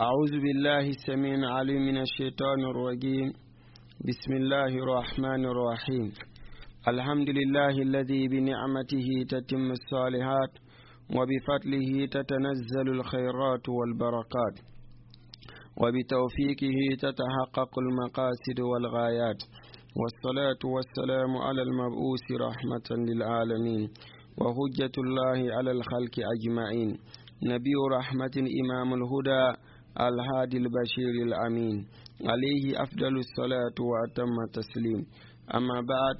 أعوذ بالله السميع العليم من الشيطان الرجيم. بسم الله الرحمن الرحيم. الحمد لله الذي بنعمته تتم الصالحات وبفضله تتنزل الخيرات والبركات وبتوفيقه تتحقق المقاصد والغايات، والصلاة والسلام على المبعوث رحمة للعالمين وحجة الله على الخلق أجمعين، نبي رحمة، إمام الهدى، الهادي البشير الأمين، عليه أفضل الصلاة وأتم التسليم. أما بعد،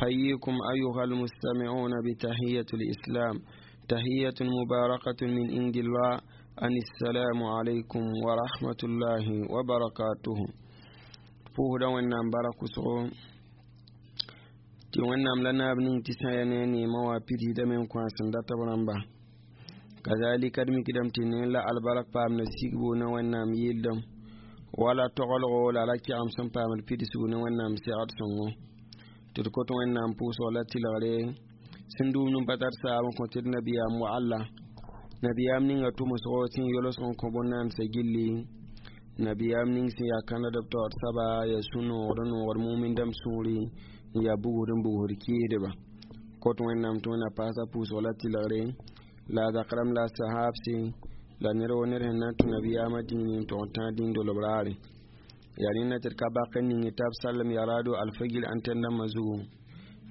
حييكم أيها المستمعون بتحية الإسلام، تحية مباركة من عند الله، أن السلام عليكم ورحمة الله وبركاته. Pʋʋsda Wẽnnaam bara-kʋsgo tɩ Wẽnnaam la naab ning tɩ sã ya ne a neemã wã pidsdame n kõ a sẽn dat b rãmba. Kazalika d mikdame tɩ ne la albark paamda sigbo ne Wẽnnaam yɩldem wala toglgo la ra kɛgem sẽn paamd pidsgu ne Wẽnnaam segd sõngo tɩ d kot Wẽnnaam pʋʋsg la tɩlgre sẽn dũumd n pa tar saab n kõ tɩ d nabiyaam wagla, nabiyaam ninga tʋmsgo sẽn yolsg n kõ bõn-naamsã gilli, nabiyaam ning sẽn yaa kãnad b taoor saba, yaa sũ-noogd n noogd mumin dãmb sũuri, n yaa bugsd n bugsd kɩɩsdba. Kot Wẽnnaam tɩ Wẽnna paasa pʋʋsg la tɩlgre la a zak rãmb la a sahaabse la ned wo ned sẽn na n tũ nabiyaamã dĩini n tʋg n tãag dĩn-dolb raare. Yaa rẽnda tɩ d ka bak n ning t'a b sallem yaraado alfagir antɛn dãmbã zugu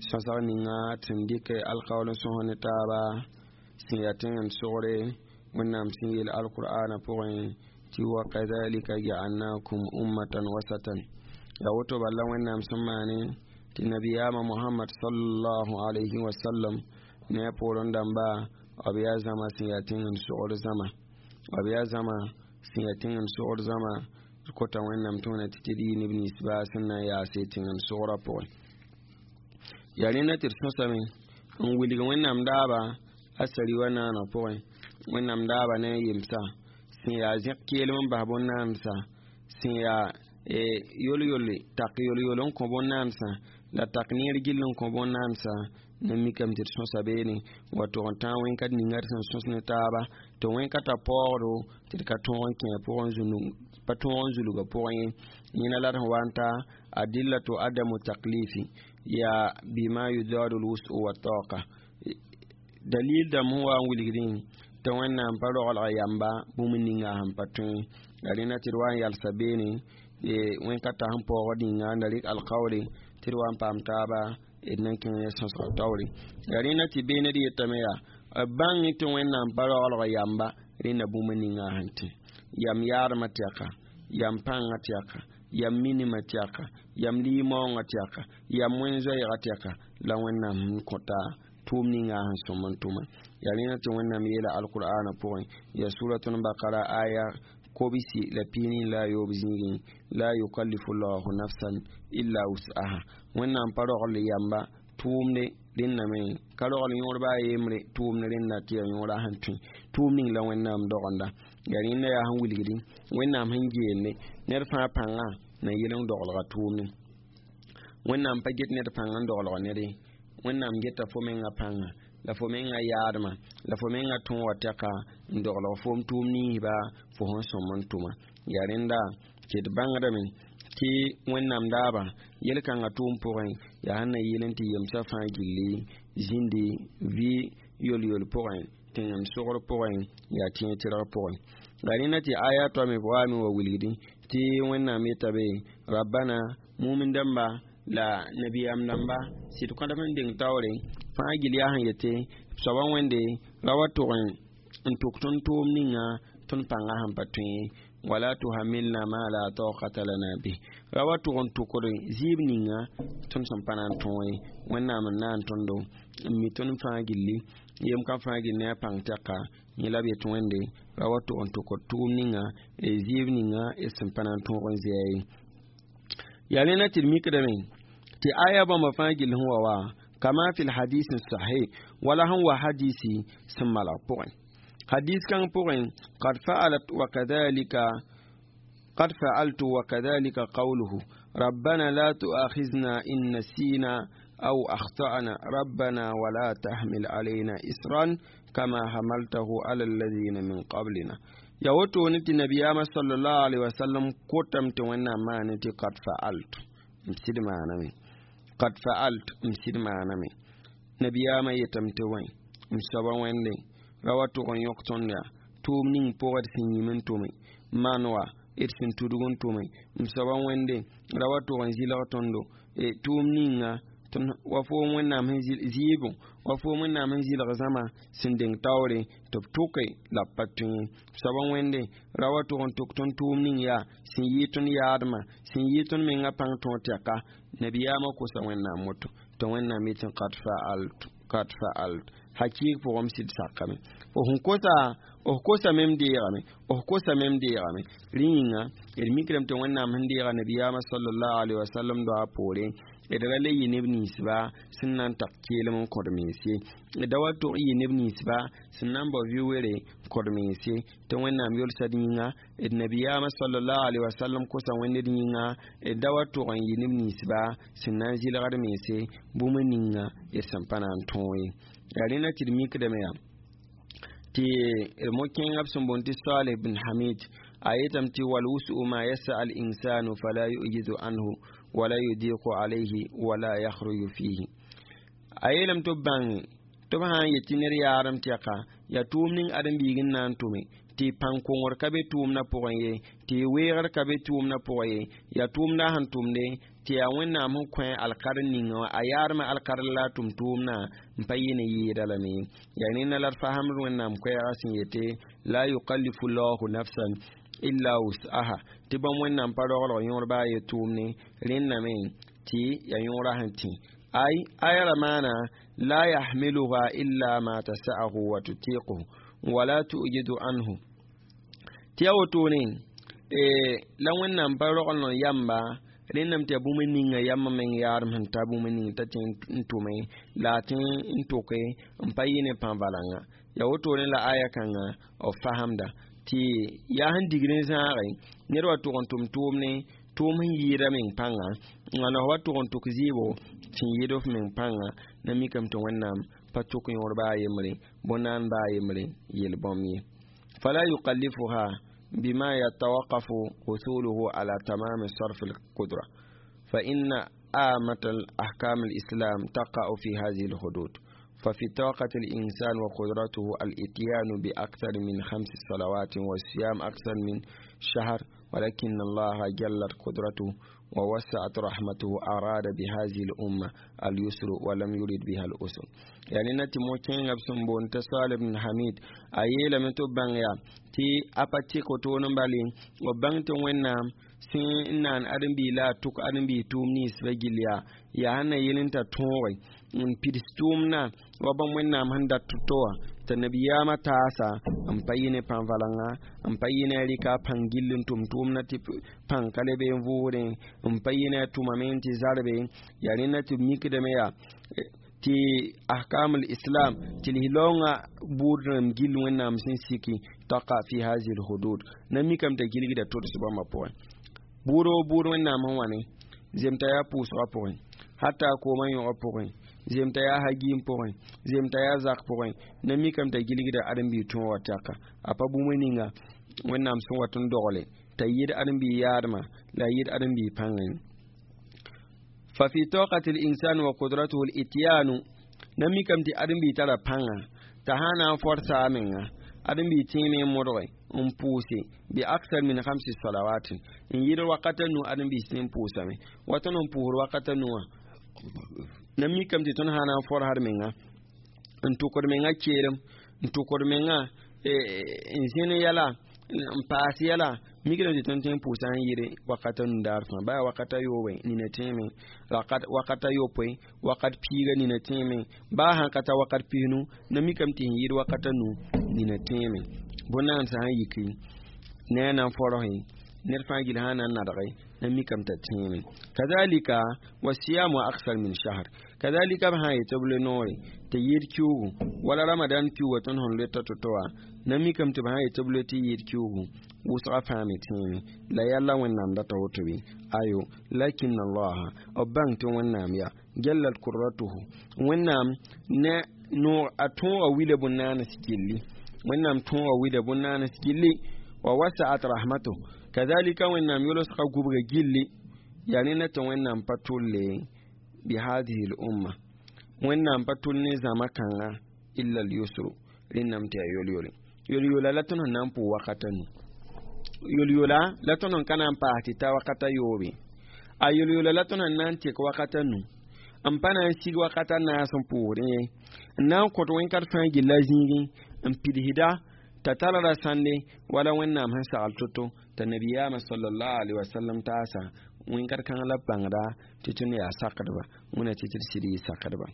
sõsg ninga sẽn dɩk alkaool n sõs ne taaba sẽn yaa tẽngem sogre. Wẽnnaam sẽn yeel alqur'ana pʋgẽ tɩ وكذلك جعلناكم أمة وسطا, yaa woto bala Wẽnnaam sẽn maane tɩ nabiyaamã Mohamad صلى الله عليه وسلم ne a poorẽ dãmba, b yaa zãma sẽn yaa tẽngem sogr zãma, b yaa zãma sẽn yaa tẽngem sogr zãma. Kota Wẽnnaam tɩ wẽna tɩ tɩ d yɩ neb nins baa sẽn na n yaase tẽngem sogrã pʋgẽ. Yaa rẽnda tɩ d sõsame n wilg Wẽnnaam daaba a sari wa naanã pʋgẽ. Wẽnnaam daaba ne a yemsa sẽn yaa zẽk keelem n bas bõn-naamsã, sẽn yaa yol-yolle tak yol-yol n kõ bõn-naamsã la tak neer gill n kõ bõn-naamsã na mikame tɩ d sõsa beene wa tʋg n tãag wẽn-kat ninga d sẽn sõs ne taaba tɩ wẽn-ka ta paoogdo tɩ d ka tõog n kẽ pʋgẽ pa tõog n zulgã pʋgẽ ye. Yẽna la d sẽn wa n ta أدلة عدم التكليف yaa بما يضاد الوسع والطاقة. Dalil dãmb sẽn wa n wilgdẽ tɩ Wẽnnaam pa roglg yamba bũmb ninga sẽn pa tõe. La rẽnda tɩ d wa n yalsa beene wẽn-ka ta sẽn paoogd ninga n da rɩk alkaoore tɩ d wa n paam taaba d nan kẽng ne sõsg taoore. La rẽnda tɩ beene d yetame yaa b bãng tɩ Wẽnnaam pa roglg yamba rẽnda bũmb ninga sẽn tẽ yam yaadmã tɛka, yam pãngã tɛka, yam minimã tɛka, yam limaoongã tɛka, yam wẽn-zoɛɛgã tɛka la Wẽnnaam sẽn kõta tʋʋm ninga sẽn sõm n tʋma. Yaa rẽnda tɩ Wẽnnaam yeela alqur'ana pʋgẽ, yaa suratun Bakara aya 223 zĩigẽ: لا يكلف الله نفسا إلا وسعها. Wẽnnaam pa rogl yamba tʋʋmde rẽnname ka rogl yõor baa yembre tʋʋmd rẽnda tɩ yaa yõora sẽn tõe tʋʋm ning la Wẽnnaam dogenda. Yaa rẽnda yaa sẽn wilgdi Wẽnnaam sẽn geende ned fãa pãnga na yel n doglga tʋʋmde. Wẽnnaam pa get ned pãng n doglg ned ye. Wẽnnaam geta fo menga pãnga la fo menga yaadmã la fo menga tõoga tɛka n doglg foom tʋʋm ninsba fo sẽn sõm n tʋma. Yaa rẽnda tɩ d bãngdame tɩ Wẽnnaam daaba yel-kãngã tʋʋm pʋgẽ yaa sẽn na yɩl n tɩ yemsã fãa gilli zĩndi vɩ yol-yol pʋgẽ, tẽngem sogr pʋgẽ, yaa tẽeg tɩrg pʋgẽ. La rẽnda tɩ aya toame waame wa wilgdi tɩ Wẽnnaam yeta be ربنا mumin dãmba la nabiyaam dãmba sɩd kõdb n deng taoore fãa gil yaa sẽn yete soaba Wẽnde ra wa tʋg n tʋk tõnd tʋʋm ninga tõnd pãngã sẽn pa tõe. ولا تحملنا ما لا طاقة لنا به. Ra wa tʋg n tʋkd zɩɩb ninga tõnd sẽn pa na n tõe. Wẽnnaam n na n tõndo n mi tõnd fãa gilli yem ka fãa gill ne a pãng tɛka yẽ la b yet Wẽnde ra wa tʋg n tʋkd tʋʋm ninga zɩɩb ninga d sẽn pa na n tõog n zɩa ye. Yaa rẽna tɩ d mikdame tɩ aya bãmba fãa gill sẽn wa wa كما في الحديث الصحيح wala sẽn wa hadisi sẽn malg pʋgẽ. Hadis kãng pʋgẽ: قد فعلت وكذلك قد فعلت وكذلك قوله ربنا لا تؤاخذنا إن نسينا أو أخطأنا ربنا ولا تحمل علينا إصرا كما حملته على الذين من قبلنا. Ya wotone tɩ nabiyaamã sallallahu alaihi wasallam kotame tɩ Wẽnnaam maane tɩ qad fa'altu, m sɩd maaname, qad fa'alt, m sɩd maaname. Nabiyaamã yetame tɩ wẽ m soaba Wẽnde ra wa tʋg n yõk tõnd yaa tʋʋm ning pʋgã d sẽn yĩm n tʋme maan wa d sẽn tudg n tʋme. M soaba Wẽnde ra wa tʋg n zɩlg tõndo tʋʋm ninga wa foom Wẽnnaam sẽn zɩɩbo, wa foom Wẽnnaam sẽn zɩlg zãma sẽn deng taoore tɩ b tʋke la b pa tõe. Soaba Wẽnde ra wa tʋg n tʋk tõnd tʋʋm ning yaa sẽn yɩ tõnd yaadmã, sẽn yɩ tõnd menga pãng tõog tɛka. Nabiyaamã kosa Wẽnnaam woto tɩ Wẽnnaam yetɩ qad fa'alt, qad fa'alt, hakɩɩg pʋgẽ m sɩd sakame. F sẽn kosa, f kosame, m deegame, f kosame, m deegame. Rẽ yĩnga d mikdame tɩ Wẽnnaam sẽn deega nabiyaamã sallallahu alaihi wasallam doa poorẽ d ra le yɩ neb ninsba sẽn na n tak keelem n kõd mens ye, d da wa tʋg yɩ neb ninsba sẽn na n bao vɩ-were n kõd mens ye, tɩ Wẽnnaam yolsa d yĩnga, d nabiyaamã sallallahu alaihi wasallam kosa Wẽnd d yĩnga, d da wa tʋg n yɩ neb ninsba sẽn na n zɩlgd mense bũmb ninga d sẽn pa na n tõog ye. Yaa rẽna tɩ d mikdame yaa tɩ d mo-kẽengã b sẽn boond tɩ Saleh bin Hamid a yetame tɩ walwusu ma yasa al insanu fala yujizu anhu wala yudiqu alayhi wala yakhruju fihi. A yeelame tɩ b bãnge tɩ b sã n yet tɩ ned yaadem tɛka yaa tʋʋm ning ãdem-biig n na n tʋme, tɩ pãn-kongr ka be tʋʋmdã pʋgẽ ye, tɩ weegr ka be tʋʋmdã pʋgẽ ye, yaa tʋʋmdã sẽn tʋmde tɩ yaa Wẽnnaam sẽn kõ alkadr ninga wã, a yaadmã alkadr la a tʋm tʋʋmdã n pa yɩ ne yɩɩda lame. Yaa rẽnda la d fasemd Wẽnnaam koɛɛgã sẽn yete la yukallifu llahu nafsan illa wus'aha, tɩ bãmb Wẽnnaam pa roglg yõor baa ye tʋʋmne. Rẽnda me tɩ yaa yõorã sẽn tẽ ay aya ra maana la yahmiluha illa ma tasa'ahu wa tutiquhu wala tu'jidu anhu. Tɩ yaa wotone la Wẽnnaam pa rogl n yamba rẽndame tɩ yaa bũmb ninga yambã meng yaadem sẽn ta bũmb ning t'a tẽ n tʋme la a tẽ n tʋke n pa yɩ ne pãn-valãnga. Yaa wotone la aya kãngã b fasemda tɩ yaa sẽn digd n zãage ned wa tʋg n tʋm tʋʋmne tʋʋm sẽn yɩɩda meng pãnga, wãna f wa tʋg n tʋk zɩɩbo sẽn yɩɩd f meng pãnga. Na mikame tɩ Wẽnnaam pa tʋk yõor baa yembre bõn-naan baa yembre yel-bõmb ye. Fala yukallifuha bima yatawaqafu husuluhu ala tamami sarf alqudra fa inna آمة الأحكام الإسلام تقع في هذه الحدود. ففي طاقة الإنسان وقدرته الإتيان بأكثر من 5 صلوات والصيام أكثر من شهر، ولكن الله جلت قدرته ووسعت رحمته أراد بهذه الأمة اليسر ولم يرد بها الأسر. يعني نتي موكين أبسم بون تسال بن حميد أيلا من تبان يا تي أباتي كتون بالين وبان تونام sẽn n naan ãdem-biig la a tʋk ãdem-biig tʋʋm nins ba gill yaa, yaa sẽn na yel n t'a tõoge n pids tʋʋmdã wa bãmb Wẽnnaam sẽn dat tʋ-to wã t'a nabiyaamã taasa n pa yɩ ne pãn-valãnga, n pa yɩ ne a rɩka a pãng gill n tʋm tʋʋmdã tɩ pãng ka le be n vʋʋsdẽ, n pa yɩ ne a tʋmame n tɩ zarbe. Yaa rẽnda tɩ b mikdame yaa tɩ ahkam islam tɩ lislaoongã buud rãmb gill Wẽnnaam sẽn siki taqa fi hazihi lhudud. Na mikame t'a gilgda tods bãmbã pʋgẽ buud o buud Wẽnnaam sẽn wa ne zemta yaa pʋʋsgã pʋgẽ, hata koomã yõgã pʋgẽ, zemta yaa hagiim pʋgẽ, zemta yaa zak pʋgẽ. Na mikame t'a gilgda ãdem-biig tõog wã tɛka a pa bũmb ninga Wẽnnaam sẽn wat n dogle t'a yɩɩd ãdem-biig yaadmã la a yɩɩd ãdem-biig pãngẽ. Fa fi taqati al-insan wa qudratuhu al-ityanu, na mikame tɩ ãdem-biig tara pãnga t'a sã na n forsa a menga ãdem-biig tẽeme n modge n pʋʋse bi aksar min 5 salawatin n yɩɩd wakata nu ãdem-biis tẽ n pʋʋsame wa tõnd n pʋʋsd wakata nu wã. Na mikame tɩ tõnd sã na n forsd menga n tʋkd menga keelem n tʋkd menga n zẽn yɛla n paas yɛla, mikdame tɩ tõnd tõe n pʋʋsa n yɩɩd wakata nu daar fãa baa wakata yoobẽ nina tẽeme, wakata yopoe, wakat piiga nina tẽeme, baa sãn ka ta wakat pisnu. Na mikame tɩ sẽn yɩɩd wakata nu nina tẽeme bõn-naan sã n yiki ne a na n forse ned fãa gill sã na n nadge na mikame t'a tẽeme. Kazalika wasiyamu aksar min shahr, kazalika b sã n yetɩ b le noore tɩ yɩɩd kiuugu wala ramadan kiuugã tõnd sẽn loeta to-to wã, na mikame tɩ b sã n yetɩ b loe tɩ yɩɩd kiuugu wʋsga fãa me tẽeme la yalla Wẽnnaam data woto bɩ ayo. Lakin allaha b bãng tɩ Wẽnnaam yaa jallat qudratuhu, Wẽnnaam ne noog a tõoga wila bõn-naanes gilli, Wẽnnaam tõoga wila bõn-naanes gilli Wa wasaat rahmatuh kadhalika wẽnnaam yolsga gubga gilli yaa ne na tɩ wẽnnaam pa tʋlle bi hadihi l umma wẽnnaam pa tʋl ne zãma kãnga illa al yusru rẽnnam tɩ yaa yol-yole yol-yola la tõnd sẽn na n pʋʋ wakata nu yol-yola la tõnd sẽn ka na n paas tɩ ta wakata yoobe a yol-yola la tõnd sẽn na n tek wakata nu n pa na n sig wakata naas n pʋʋsdẽ ye n na n kõt wẽn-kat fãa gilla zĩigẽ n pidsda t'a tara ra sãnde wala wẽnnaam sẽn sagl to-to t'a nabiyaamã sallallahu alaihi wasallam taasa wẽn-kat kãng la b bãngda tɩ tõnd yaa sakdba wẽna tɩ tɩ d sɩd yɩ sakdba.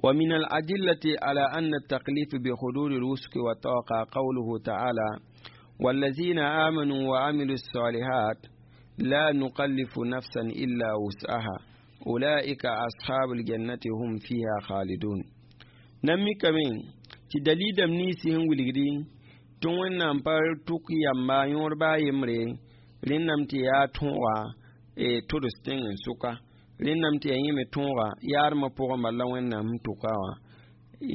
ومن الأدلة على أن التكليف بحدود الوسك والطاقة قوله تعالى والذين آمنوا وعملوا الصالحات لا نكلف نفسا إلا وسعها أولئك أصحاب الجنة هم فيها خالدون. نمي كمين tɩ dalilame ninsẽ sẽn wilgdi tɩ wẽnnaam pa tʋk yamba yõod baa yembre rẽnname tɩ yaa tõoga tods tẽng n sʋka rẽnname tɩ yaa yẽ me tõoga yaadmã pʋgẽ bala la wẽnnaam sẽn tʋka wã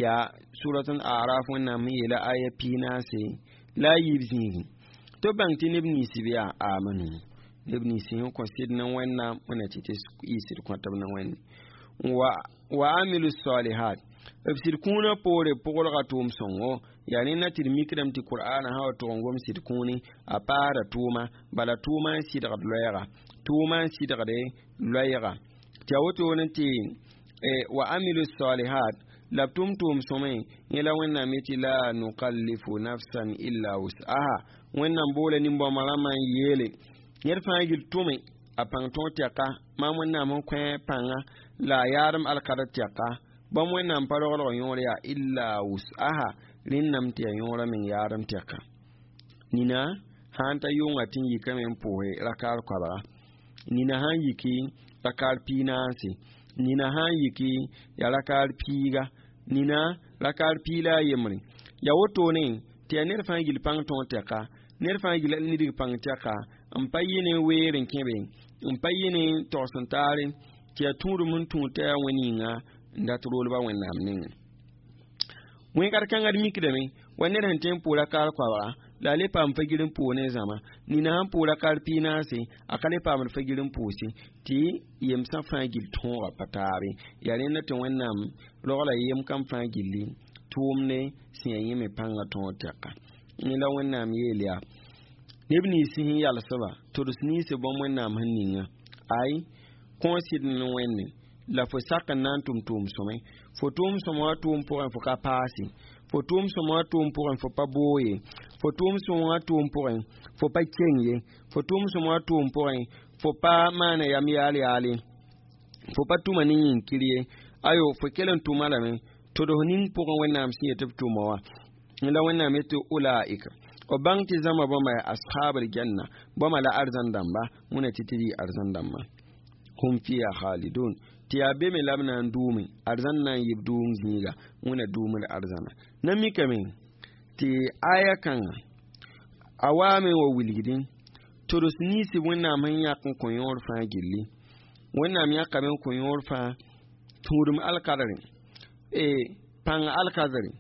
yaa suratun araf wẽnnaam sẽn yeela aya piinaase la a yiib zĩigẽ tɩ b bãng tɩ neb ninsb yaa amanu neb nins sẽn kõ sɩd ne wẽnnaam wẽnna tɩ tɩ yɩ sɩd kõtb ne wẽnde wa amilu salihat b sɩd kũunã poore pʋglga tʋʋm sõngo yaa ne na tɩ d mikdame tɩ qur'ana sã wa tʋg n gom sɩd kũuni a paasda tʋʋma bala tʋʋma n sɩdgd loɛɛga tʋʋma n sɩdgde loɛɛga tɩ a wotone tɩ wa amilu salihat la b tʋm tʋʋm sõme yẽ la wẽnnaam yetɩ la nukallifu nafsan illa wus'aha wẽnnaam boola nin-bãmba rãmbã n yeele ned fãa gil tʋme a pãng tõog tɛka maam wẽnnaam sẽn kõ pãnga la a yaadem alkadr tɛka bãmb wẽnnaam pa roglg yõor yaa illa wus'aha rẽnname tɩ yaa yõorã meng yaadem tɛka nina sãn ta yʋnga tɩ n yikame n pʋʋse rakaar koabga nina sãn yiki rakaar piig naase nina sãn yiki yaa rakaar piiga nina rakaar piig la a yembre yaa wotone tɩ yaa ned fãa gil pãng tõog tɛka ned fãa gil nidg pãng tɛka n pa yɩ ne weer n kẽbe n pa yɩ ne togs n taare tɩ yaa tũudum n tũud t'a yaa wẽn yĩnga n dat roolba wẽnnaam nengẽ wẽn-kat kãngã d mikdame wa ned sẽn tõe n pʋʋ rakaar koabga la a le paam fagir n pʋʋg ne zãma nina sãn pʋʋg rakaar piig naase a ka le paamd fagir n pʋʋse tɩ yemsã fãa gil tõoga pa taabe yaa rẽnda tɩ wẽnnaam rogla yem kam fãa gilli tʋʋmde sẽn yaa yẽ me pãngã tõog tɛka yẽ la wẽnnaam yeel yaa neb nins sẽn yalsba tods nins bãmb wẽnnaam sẽn ninga ay kõo sɩd ne wẽnde la fo sak n na n tʋm tʋʋm sõme fo tʋʋm sõma wã tʋʋm pʋgẽ fo ka paase fo tʋʋm sõma wã tʋʋm pʋgẽ fo pa boo ye fo tʋʋm sõma wã tʋʋm pʋgẽ fo pa keng ye fo tʋʋm sõma wã tʋʋm pʋgẽ fo pa maana yam yaal yaale fo pa tʋma ne yĩnkir ye ayo fo kell n tʋma lame tʋds ning pʋgẽ wẽnnaam sẽn yet b tʋma wã la wẽnnaam yetɩ ulaika b bãng tɩ zãma bãmba yaa ashabl janna bãmba la arzãn dãmba wẽna tɩ tɩ yɩ arzãn dãmba hum fiha khalidun tɩ yaa be me la b na n dʋʋme arzãn na n yɩ b dʋʋm zĩiga wẽna dʋʋmd arzãna na mikame tɩ aya kãnga a waame wa wilgdẽ tods ninsb wẽnnaam sẽn yãk n kõ yõor fãa gilli wẽnnaam yãkame n kõ yõor fãa tũudum alkadre pãng alkadre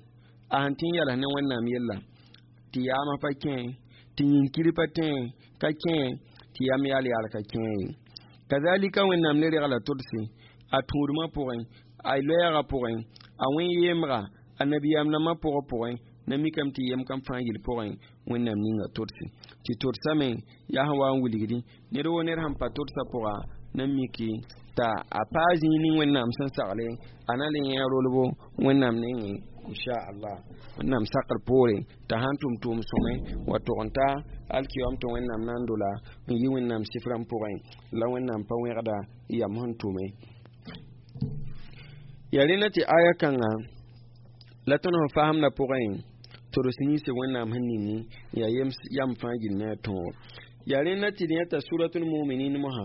a sẽn tɩ n yals ne wẽnnaam yella tɩ yaamã pa kẽ tɩ yĩnkir pa tẽ ka kẽ tɩ yam yaal yaal ka kẽ ye kazalika wẽnnaam le regla todse a tũudmã pʋgẽ a loɛɛgã pʋgẽ a wẽn-yemga a nabiyaam rãmbã pʋgã pʋgẽ na mikame tɩ yem kam fãa gill pʋgẽ wẽnnaam ninga todse tɩ todsame yaa sẽn wa n wilgdi ned woo ned sẽn pa todsã pʋga na miki t'a a paa zĩig ning wẽnnaam sẽn sagle a na le yẽ rolbo wẽnnaam nengẽ inchallah wẽnnaam sakr poore t'a sãn tʋm tʋʋm sõme wa tog n ta alkiyom tɩ wẽnnaam na n dola n yi wẽnnaam sifrã pʋgẽ la wẽnnaam pa wẽgda yam sẽn tʋme yaa rẽnda tɩ aya kãnga la tõnd sẽn fasemdã pʋgẽ tods ninsb wẽnnaam sẽn ning yaa yam fãa gill ne a tõogo yaa rẽnda tɩ d yãta suratul muminin mosã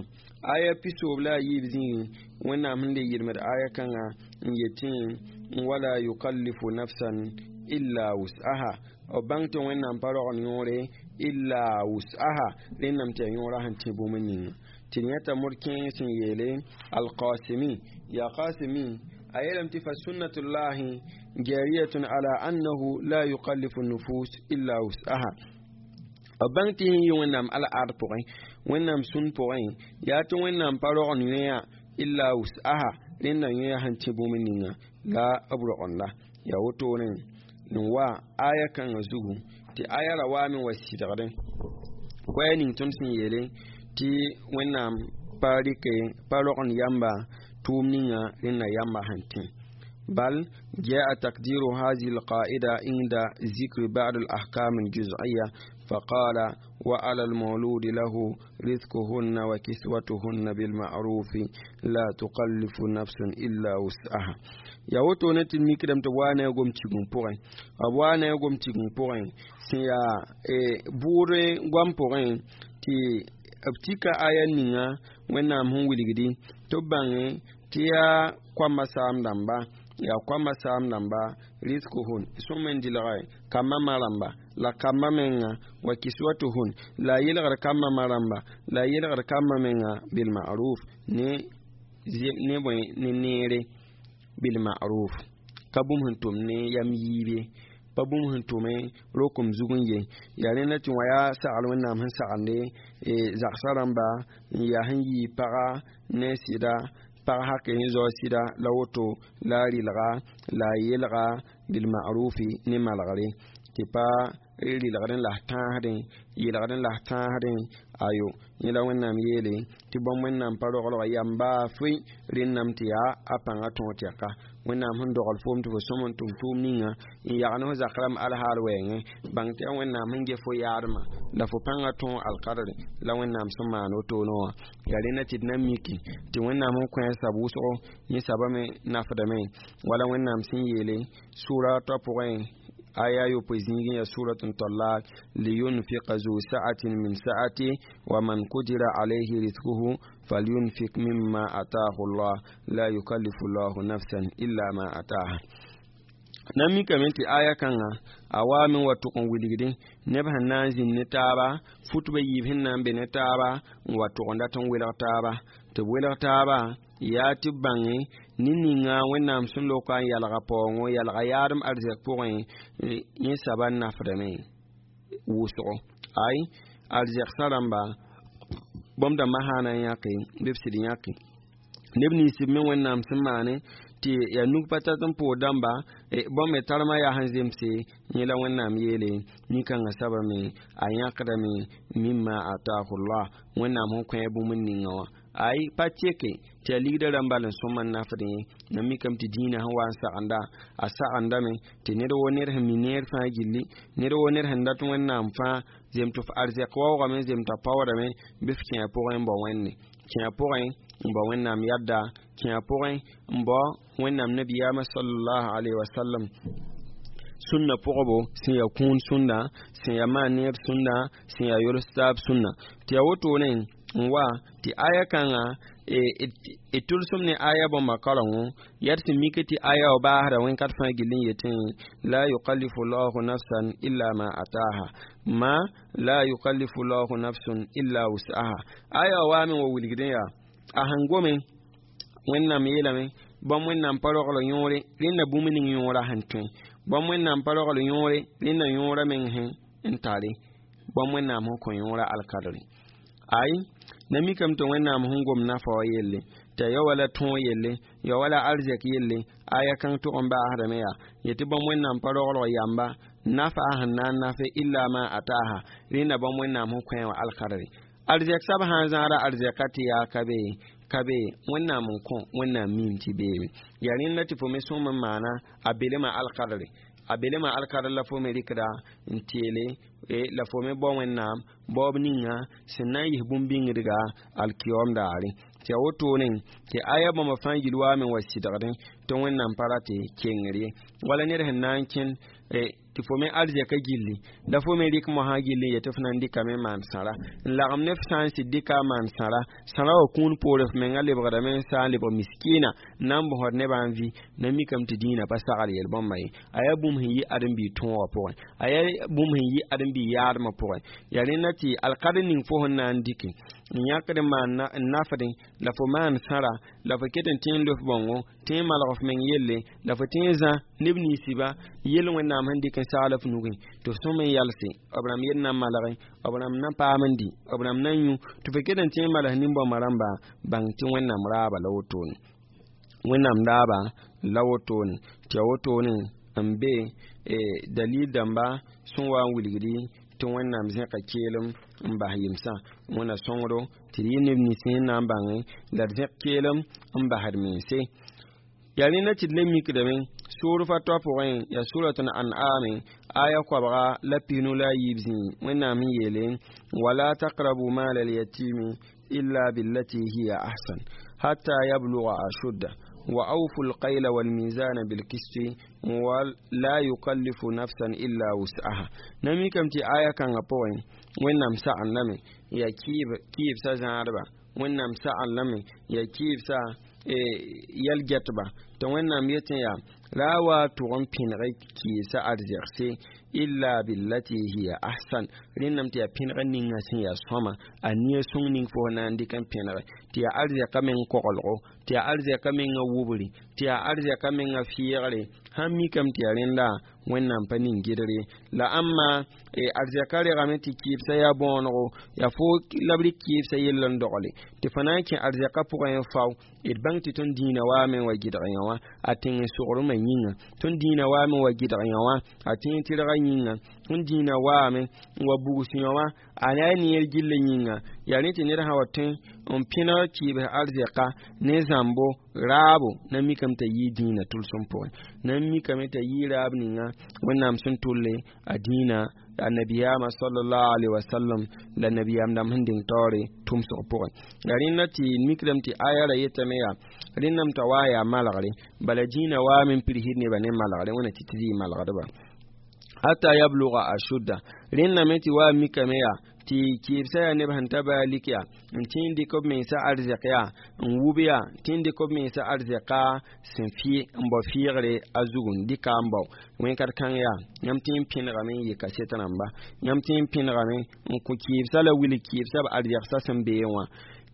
aya pisoob la a yiib zĩigẽ wẽnnaam sẽn le yɩlmd aya kãnga n yetẽ wala yukallifu nafsan illa wus'aha b bãng tɩ wẽnnaam pa rogl yõore illa wus'aha rẽnname tɩ yaa yõorã sẽn tẽ bũmb ninga tɩ d yãta mod kẽeng sẽn yeele alqasimi yaa qasimi a yeelame tɩ fa sunnatullahi jariyatun ala annahu la yukallifu nufus illa wus'aha. B bãng tɩ sẽn yɩ Wẽnnaam al-ard pʋgẽ, Wẽnnaam sũn pʋgẽ, yaa tɩ Wẽnnaam pa rogend yõa illa wus'aha, rẽnda yõa sẽn tẽ bũmb ninga la b rogenda. Yaa wotone n wa aya kãngã zugu tɩ aya ra waame wa sɩdgdẽ koɛɛ ning tõnd sẽn yeele tɩ Wẽnnaam pa rɩke pa rogend yamba tʋʋm ninga rẽnda yamba sẽn tẽ. بل جاء تقدير هذه القاعدة عند ذكر بعض الأحكام الجزئية، فقال: وعلى المولود له رزقهن وكسوتهن بالمعروف لا تكلف نفس إلا وسعها. Yaa wotone tɩ d mikdame tɩ b waa ne a gom tigim pʋgẽ, b waa ne a gom tigim pʋgẽ sẽn yaa bʋʋd goam pʋgẽ tɩ b tika aya ninga Wẽnnaam sẽn wilgdi tɩ b bãnge tɩ yaa koamba saam dãmba, yaa koamba saam dãmba riskuhun sõm n dɩlge kambã ma rãmba la kambã menga wa kiswatuhun la a yelgd kambã ma rãmba la a yelgd kambã menga bilma'ruf ne bõe ne neere bilma'ruf, ka bũmb sẽn tʋm ne yam yiibe, pa bũmb sẽn tʋme rokom zug n ye. Yaa rẽnda tɩ wã yaa sagl Wẽnnaam sẽn sagende zagsã rãmba n yaa sẽn yii paga ne sɩda pag hake sẽn zao sɩda la woto la a rɩlga la a yelga bilma'rufi ne malgre tɩ pa rɩlgdẽ la tãasdẽ yelgdẽ la tãasdẽ ayo. Yẽ la Wẽnnaam yeele tɩ bõmb Wẽnnaam pa roglga yamba fʋɩ rẽnname tɩ yaa a pãnga tõog tɛka. Wẽnnaam sẽn dogl foom tɩ fo sõm n tʋm tʋʋm ninga n yag ne fo zak rãmb alhaal wɛɛngẽ, bãng tɩ yaa Wẽnnaam sẽn get fo yaadmã la fo pãnga tõog alkadre la Wẽnnaam sẽn maan wotone wã. Yaa rẽnda tɩ d na miki tɩ Wẽnnaam sẽn kõ a sab wʋsgo yẽ sabame nafdame, wala Wẽnnaam sẽn yeele sʋra toa pʋgẽ aya yopoe zĩigẽ yaa surat n Talak: liyunfiqa zu sa'atin min sa'ati wa man qudira alayhi rizquhu falyunfiq mimma ataahu Allah la yukallifu Allahu nafsan illa ma ataaha. Na mikame tɩ aya kãngã a waame wa tʋg n wilgdẽ neb sẽn na n zĩnd ne taaba, futbã yiib sẽn na n be ne taaba n wa tʋg n dat n welg taaba tɩ b welg taaba yaa tɩ b bãnge ne ninga Wẽnnaam sẽn loka n yalga paoongo yalga yaadem arzɛk pʋgẽ, yẽ saba n nafdame wʋsgo. Ay arzɛgsã rãmba bõmb dãmbã sã na n yãke bɩ b sɩd yãke neb nins b me Wẽnnaam sẽn maane tɩ yaa nug pa tat n pʋʋd dãmba bõmb me tarmã yaa sẽn zemse. Yẽ la Wẽnnaam yeele nin-kãngã sabame a yãkdame mimma atahullah, Wẽnnaam sẽn kõ a bũmb ninga wã. Ay pa teke tɩ a ligdã rãmb bal n sõma n nafdẽ ye. Na mikame tɩ dĩinã sẽn wa n sagenda a sagendame tɩ ned wo ned sẽn mi neer fãa gilli, ned wo ned sẽn dat Wẽnnaam fãa zem tɩ f arzɛk waoogame zem t'a paoodame bɩ f kẽ a pʋgẽ n bao Wẽnde kẽ a pʋgẽ n bao Wẽnnaam yadda kẽ a pʋgẽ n bao Wẽnnaam nabiyaamã sallallahu alaihi wasallam sũnna pʋgbo sẽn yaa kũun sũnda, sẽn yaa maan neer sũnda, sẽn yaa yols taab sũnna. Tɩ yaa wotone n wa tɩ aya kãngã d tʋlsem ne aya bãmba karengo yaa d sẽn mik tɩ aya wa baasda wẽn-kat fãa gill n yetẽ la yukallifu llahu nafsan illa ma ataha ma la yukallifu llahu nafsun illa wus'aha. Aya wa waame wa wilgdẽ yaa a sẽn gome Wẽnnaam yeelame bãmb Wẽnnaam pa rogl yõore rẽnda bũmb ning yõora sẽn tõe, bãmb Wẽnnaam pa rogl yõore rẽnda yõora meng sẽn n tare, bãmb Wẽnnaam sẽn kõ yõora alkadre. Ay na mikame tɩ Wẽnnaam sẽn gom nafa wa yelle tɩ a ya wala tõog yelle ya wala arzɛk yelle aya kãng tʋg n baasdame yaa yetɩ bãmb Wẽnnaam pa roglg yamba nafa a sẽn na n nafe illa ma ataha rẽnda bãmb Wẽnnaam sẽn kõ wã alkadre. Arzɛk sab sã n zãada arzɛka tɩ yaa ka be Wẽnnaam n kõ Wẽnnaam miim tɩ beebe. Yaa rẽnda tɩ fo me sõm n maana a belema alkadre, a belema alkadr la fo me rɩkda n teele la fo me bao Wẽnnaam baoob ninga sẽn na n yis bũmb-bĩngdga alkiyoom daare. Tɩ yaa wotone tɩ aya bãmba fãa yil waame wa sɩdgdẽ tɩ Wẽnnaam pa ra tɩ kengr ye wala ned sẽn na n kẽn tɩ fo me arzɛka gilli la fo me rɩk mosã gilli n yetɩ f na n dɩkame n maan sãra n lagem ne f sã n sɩd dɩka n maan sãra sãra wã kũun poore f menga lebgdame n saa n lebg miskiina n na n bõsd nebã n vɩ. Na mikame tɩ dĩinã pa sagl yel-bãmba ye a yaa bũmb sẽn yɩ ãdem-biig tõogã pʋgẽ, a yaa bũmb sẽn yɩ ãdem-biig yaadmã pʋgẽ. Yaa rẽnda tɩ alkadr ning fo sẽn na n dɩke N yãkd n maan n nafdẽ la fo maan sãra la fo ket n tẽ n lof bãongo, tẽ n malg f meng yelle la fo tẽ n zã neb ninsba yell Wẽnnaam sẽn dɩk n sagl f nugẽ tɩ f sõm n yalse b rãmb yell na malge, b rãmb na paam n dɩ, b rãmb na yũ, tɩ fo ket n tẽ n mals nin-bãmbã rãmba, bãng tɩ Wẽnnaam raaba la wotone, Wẽnnaam raaba la wotone, tɩ ya wotone n be dalil dãmba sẽn wa n wilgdi tɩ Wẽnnaam zẽka keelem n bas yemsã. Wẽnna sõngdo tɩ d yɩ neb nins sẽn na n bãngẽ la d zẽk keelem n basd mense. Yaa rẽnda tɩ d le mikdame soor fa toa pʋgẽ, yaa surat an'ame aya 223 zĩig. Wẽnnaam n yeele: wala taqrabu mal alyatimi illa billati hiya ahsan hatta yabluga ashudda wa awfu alqayla walmizana bilkisti wa la yukallifu nafsan illa wus'aha. Na mikame tɩ aya kãngã pʋgẽ Wẽnnaam sagn lame yaa kɩɩbsã zãadba, Wẽnnaam sagn lame yaa kɩɩbsã yɛl-gɛtba, tɩ Wẽnnaam yetẽ yaa ra a wa tʋg n pẽneg kɩɩbsã arzɛgse illa billati hiya ahsan. Rẽndame tɩ yaa pẽneg ninga sẽn yaa sõma, a nia sõng ning fo na n dɩk n pẽnege, tɩ yaa arzɛka meng koglgo, tɩ yaa arzɛka menga wubri, tɩ yaa arzɛka menga fɩɩgre. Sãn mikame tɩ yaa rẽnda Wẽnnaam pa ning gɩdre la ãmma arzɛka regame tɩ kɩɩbsã yaa bõonego, yaa fo la b rɩk kɩɩbsã yell n dogle tɩ fo na n kẽ arzɛka pʋgẽ n fao. D bãng tɩ tõnd dĩinã waame n wa gɩdg yã wã a tẽng n sogrmã yĩnga, tõnd dĩinã waame n wa gɩdg yã wã a tẽeg tɩrgã yĩnga, tõnd dĩinã waame n wa bugs yã wã a na ya neer gilli yĩnga. Yaa rẽ tɩ ned sã wa tõe n pẽneg kɩɩbs arzɛka ne zãmbo raabo, na mikame t'a yɩɩ dĩinã tʋlsem pʋgẽ, na mikame t'a yɩɩ raab ninga Wẽnnaam sẽn tʋlle a dĩinã a nabiyaamã sallallahu alaihi wasallam la nabiyaam dãmb sẽn deng taoore tʋmsg pʋgẽ. La rẽnda tɩ mikdame tɩ aya ra yetame yaa rẽndame t'a waa yaa malgre, bala dĩinã waame n pirsd nebã ne malgre, Wẽnna tɩ tɩ zɩ malgdba hata yabluga ashudda. Rẽndame tɩ waa mikame yaa tɩ kɩɩbsã yaa neb sẽn ta baa lik yaa n tẽ n dɩk b mensã arzɛk yaa n wub yaa tẽ n dɩk b mensã arzɛka sẽn fɩ n bao fɩɩgre a zugu n dɩka n bao wẽn-kãd-kãng yaa yãmb tẽ n pẽnegame n yɩ kaset rãmba, yãmb tẽ n pẽnegame n kõ kɩɩbsã la wilg kɩɩbsã b arzɛgsã sẽn bee wã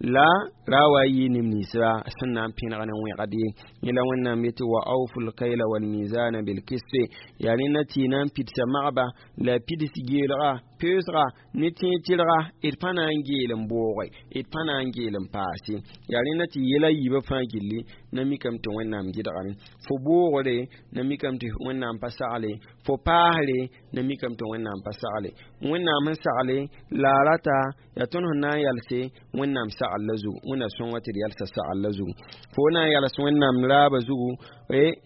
la ra wa yɩ neb ninsba sẽn na n pẽneg ne wẽgd ye. Yẽla Wẽnnaam yetɩ wa awfu lkayla walmizana bilkisti, yaa rẽnda tɩ y na n pidsa magba la pids geelga peoosga ne tẽeg tɩrga, d pa na n geel n booge, d pa na n geel n paase. Yaa rẽnda tɩ yɛla yiibã fãa gilli na mikame tɩ Wẽnnaam gɩdgame fo boogre, na mikame tɩ Wẽnnaam pa sagle fo paasre, na mikame tɩ Wẽnnaam pa sagle. Wẽnnaam sẽn sagle la a rata yaa tõnd sẽn na n yalse Wẽnnaam sagl la zugu. Wẽnna sõnga tɩ d yalsa sagl la zugu, fo na n yals Wẽnnaam raabã zugu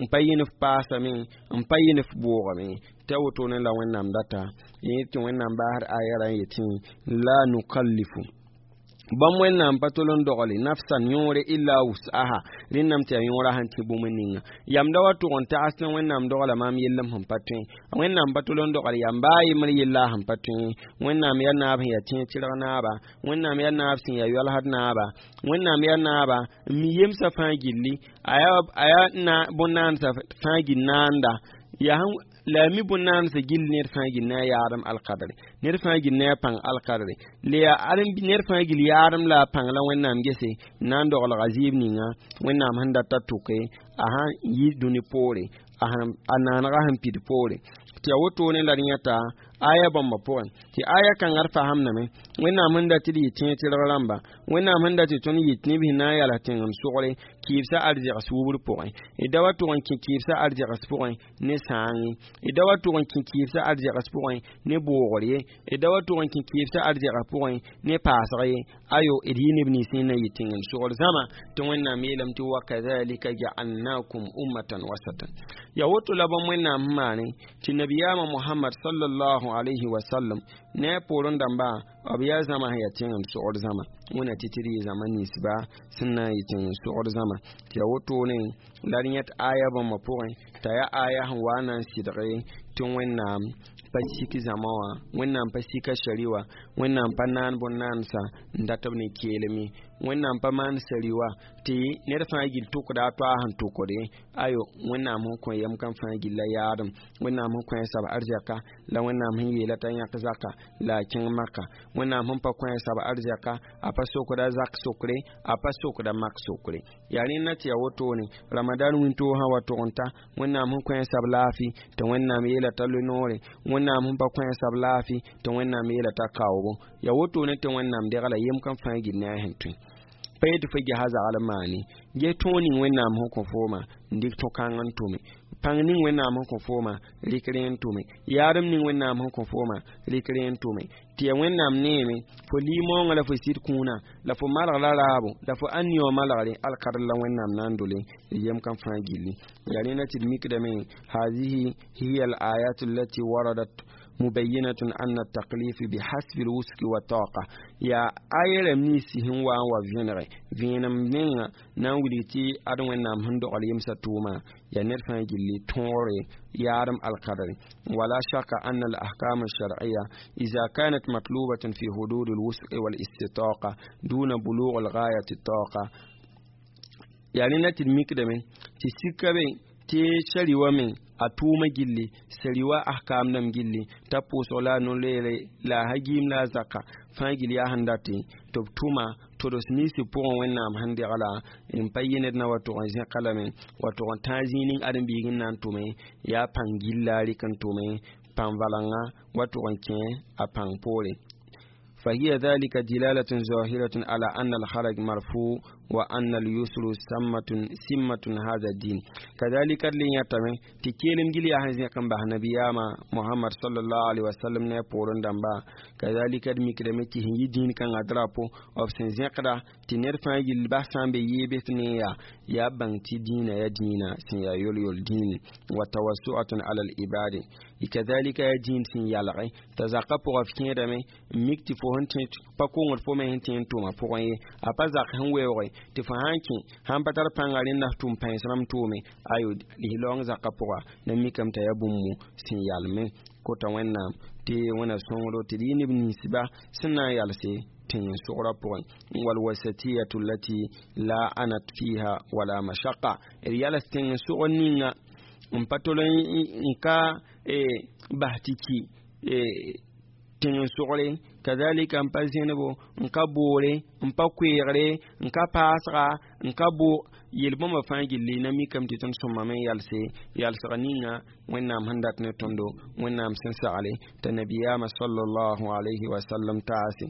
n pa yɩ ne f paasame, n pa yɩ ne f boogame, tɩ a wotone la Wẽnnaam data yẽ tɩ Wẽnnaam baasd aya ra n yetẽ la nukallifu bãmb Wẽnnaam pa tol n dogle nafsan yõore illa wus'aha. Rẽndame tɩ yaa yõora sẽn tẽ bũmb ninga yamda wa tʋg n tags tɩ Wẽnnaam dogla maam yellem sẽn pa tõe. Wẽnnaam pa tol n dogl yam baa yembr yella sẽn pa tõe. Wẽnnaam yaa naab sẽn yaa tẽeg tɩrg naaba, Wẽnnaam yaa naab sẽn yaa yoalsd naaba, Wẽnnaam yaa naaba n mi yemsã fãa gilli, a yaa bõn-naandsã fãa gil naanda yaa la a mi bõn-naandsã gill ned fãa gil ne a yaadem alkadre, ned fãa gil ne a pãng alkadre la yaa ned fãa gil yaadem la a pãng la Wẽnnaam gese n na n doglga zɩɩb ninga Wẽnnaam sẽn data tʋke a sãn yi dũni poore, a naanega sẽn pid poore. Tɩ yaa wotone la d yãta aya bãmba pʋgẽ tɩ aya kãngã d fasamdame Wẽnnaam sẽn dat tɩ d yɩ tẽeg tɩrg rãmba, Wẽnnaam sẽn dat tɩ tõnd yɩ neb sẽn na n yals tẽngem sogre kɩɩbsã arzɛgs wubr pʋgẽ. D da wa tʋg n kẽ kɩɩbsã arzɛgs pʋgẽ ne sãange, d da wa tʋg n kẽ kɩɩbsã arzɛgs pʋgẽ ne boogr ye, d da wa tʋg n kẽ kɩɩbsã arzɛgs pʋgẽ ne paasg ye. Ayo, d yɩ neb nins sẽn na yɩ tẽngem sogr zãma tɩ Wẽnnaam yeelame tɩ wa kadhalika ja'alnakum ummatan wasatan. Yaa woto la bãmb Wẽnnaam sẽn maane tɩ nabiyaamã Mohamad sallallahu alayhi wa sallam ne a poorẽ dãmba b yaa zãma sẽn yaa tẽngem sogr zãma. Wẽnna tɩ tɩ d yɩ zãma ninsba sẽn na n yɩ tẽngem sogr zãma. Tɩ yaa wotone la d yẽt aya bãmbã pʋgẽ t'a yaa aya sẽn wa n na n sɩdge tɩ Wẽnnaam pa sik zãma wã, Wẽnnaam pa sika sari wã, Wẽnnaam pa naan bõn-naandsã n dat b ne keelem ye, Wẽnnaam pa maan sari wã tɩ ned fãa gill tʋkda a toa sẽn tʋkde. Ayo, Wẽnnaam sẽn kõ yɛm kam fãa gilla yaadem, Wẽnnaam sẽn kõ a sab arzɛka la Wẽnnaam sẽn yeela t'a yãk zaka la a kẽng maka. Wẽnnaam sẽn pa kõ a sab arzɛka, a pa sokda zak sokre, a pa sokda mak sokre. Yaa rẽnda tɩ yaa wotone Ramadan wĩntoog sã wa tʋg n ta, Wẽnnaam sẽn kõ a sab laafɩ tɩ Wẽnnaam yeela t'a loe noore, Wẽnnaam sẽn pa kõ a sab laafɩ tɩ Wẽnnaam yeela t'a kaoobo. Yaa wotone tɩ Wẽnnaam degla yem kam fãa gill ne a sẽn tõe. Pa yetɩ fo gesa zagl n maane ges tõog ning Wẽnnaam sẽn kõ fooma n dɩk tõ-kãng n tʋme, pãng ning Wẽnnaam sẽn kõ fooma rɩk rẽ n tʋme, yaadem ning Wẽnnaam sẽn kõ fooma rɩk rẽ n tʋme, tɩ yaa Wẽnnaam neeme fo lɩ-maoongã la fo sɩd kũunã la fo malg la raabo la fo ãn wã malgre alkadr la Wẽnnaam na n dole yem kam fãa gilli. Yaa rẽnda tɩ d mikdame hazihi hiya al ayat allati waradat مبينة أن التكليف بحسب الوسع والطاقة. Ya ayɛrɛm ninsi sẽn wa n wa vẽnege vẽenem menga na n wilg tɩ ad Wẽnnaam sẽn dogl yemsã tʋʋma yaa ned fãa gilli tõogre yaadem alkadre. ولا شك أن الأحكام الشرعية إذا كانت مطلوبة في حدود الوسع والاستطاقة دون بلوغ الغاية الطاقة. Yani na tɩ d mikdame tɩ sika be tɩ sari wa me a tʋʋma gilli sari wa ahkam dãmb gilli t'a pʋʋsg la a no-leere la a gɩɩm la a zaka fãa gill yaa sẽn date tɩ b tʋma tods ninsi pʋgẽ Wẽnnaam sẽn degla n pa yɩ ned na wa tʋg n zẽka lame wa tʋg n tãag zĩig ning ãdem-biig n na n tʋme yaa pãng gilla a rɩk n tʋme pãng valengã wa tʋg n kẽ a pãng poore. فهي ذلك دلالة ظاهرة على أن الحرج مرفوع وأن اليسر سمة هذا الدين. كذلك لن يتمي تكيلم جلي أهزي كم به نبياما محمد صلى الله عليه وسلم ne poorẽ dãmba. Kazalika d mikdame tɩ sẽn yi dĩin kãngã drapo b sẽn zẽkda tɩ ned fãa gill bas sã n be yeebs ne yaa bãng tɩ dĩinã yaa dĩinã sẽn yaa yol-yol dĩine wa tawassu'atun ala al-ibadi. Kazalika yaa dĩin sẽn yalge t'a zakã pʋgã f kẽedame n mik tɩ fo sẽn tẽ pa kongd fo me sẽn tẽ n tʋma pʋgẽ ye a pa zak sẽn weooge tɩ fo sã n kẽ sãn pa tar pãnga rẽnda f tʋm pãens rãmb tʋʋme ayo lis-laoong zakã pʋga na mikame t'a yaa bũmb sẽn yalme kota Wẽnnaam tɩ Wẽnna sõngdo tɩ d yɩ neb ninsba sẽn na n yalse tẽn-sogra pʋgẽ walwasatiyatu allati la anat fiha wala mashaqa d yals tẽng-sog ninga n pa tol n ka bas tɩ ki tẽng-sogre kazalika n pa zẽnebo n ka boore n pa koeegre n ka paasga n ka bo yel-bãmba fãa gilli na mikame tɩ tõnd sõmame n yalse yalsg ninga Wẽnnaam sẽn dat ne tõndo Wẽnnaam sẽn sagle t'a nabiyaamã sallallahu alayhi wa sallam taase.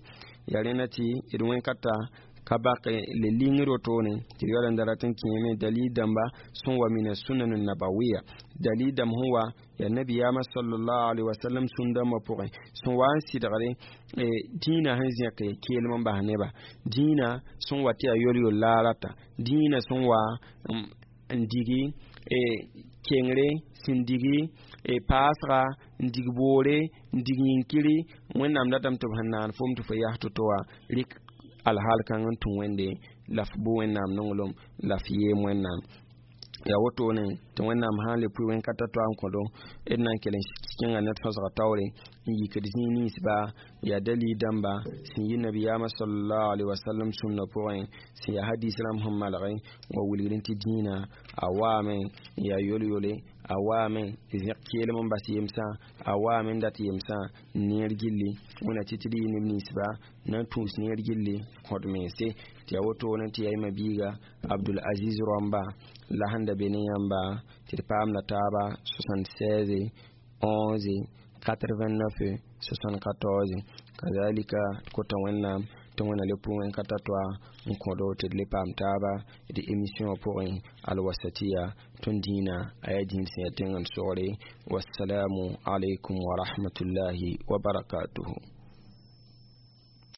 Yaa rẽnda tɩ d wẽn-ka ka bak le lingr wotone tɩ d yaool n da rat n kẽeme dalil dãmba sẽn wa mina sunan nabawiya dalil dãmb sẽn wa yaa nabiyaamã sallallahu alaihi wasallam sũn-dãmbã pʋgẽ sẽn wa n sɩdgre dĩinã sẽn zẽk keelem n bas neba dĩinã sẽn wa tɩ yaa yol-yol la a rata dĩinã sẽn wa n digi kengre sẽn digi paasga n dig boore n dig yĩnkiri Wẽnnaam datame tɩ b sẽn naan fom tɩ fo yas to-to wã rɩk alhaal kãng n tũ Wẽnde la f bʋ Wẽnnaam nonglem la f yeem Wẽnnaam yaa wotone tɩ Wẽnnaam sã n le pʋɩ wẽn-kata toa n kõdo d na n kell n kẽnga ned fãsga taoore n yikd zĩig ninsba yaa dalil dãmba sẽn yi nabiyaamã sallallahu alaihi wasallam sũnna pʋgẽ sẽn yaa hadis rãmb sẽn malge wa wilgd tɩ dĩinã a waame n yaa yol-yole a waame zẽk keelem n bas yemsã a waame n dat yemsã n neer gilli wẽna tɩ tɩ d yɩ neb ninsba na n tũus neer gilli kõd mense tɩ yaa wotone tɩ yaa yema biiga Abdul Aziz Rõmba la sẽn da be ne yãmba tɩ d paamda taaba 76 11 89 74. Kazalika kota Wẽnnaam tɩ Wẽnna le pʋ wẽn-ka ta toa n kõdo tɩ d le paam taaba d émission pʋgẽ alwasatiya tõnd dĩinã a yaa dĩin sẽn yaa tẽng n sogre. Wassalamu alaikum wa rahmatullahi wa barakatuhu.